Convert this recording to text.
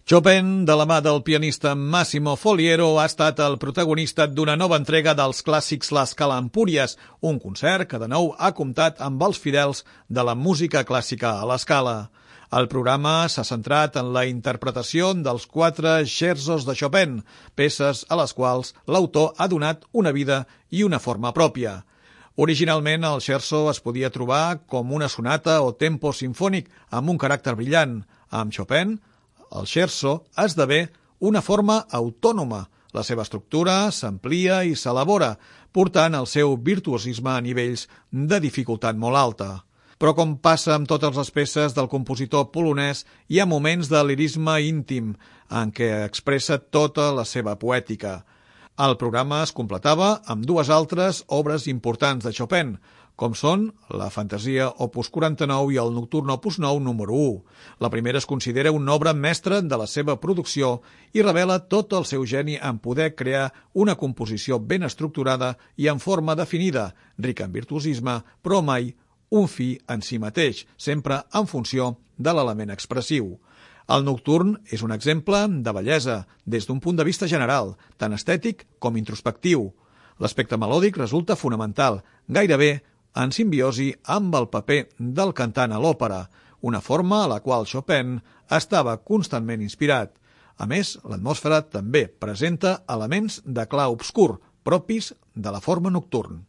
Chopin, de la mà del pianista Massimo Foliero, ha estat el protagonista d'una nova entrega dels clàssics La Scala Empúries, un concert que de nou ha comptat amb els fidels de la música clàssica a La Scala. El programa s'ha centrat en la interpretació dels 4 scherzos de Chopin, peces a les quals l'autor ha donat una vida i una forma pròpia. Originalment, el scherzo es podia trobar com una sonata o tempo sinfònic amb un caràcter brillant. Amb Chopin, el scherzo esdevé una forma autònoma. La seva estructura s'amplia i s'elabora, portant el seu virtuosisme a nivells de dificultat molt alta. Però com passa amb totes les peces del compositor polonès, hi ha moments de lirisme íntim en què expressa tota la seva poètica. El programa es completava amb 2 altres obres importants de Chopin, com són la Fantasia Opus 49 i el Nocturn Opus 9 número 1. La primera es considera una obra mestra de la seva producció i revela tot el seu geni en poder crear una composició ben estructurada i en forma definida, rica en virtuosisme, però mai un fi en si mateix, sempre en funció de l'element expressiu. El Nocturn és un exemple de bellesa des d'un punt de vista general, tant estètic com introspectiu. L'aspecte melòdic resulta fonamental, gairebé en simbiosi amb el paper del cantant a l'òpera, una forma a la qual Chopin estava constantment inspirat. A més, l'atmosfera també presenta elements de clar obscur, propis de la forma nocturn.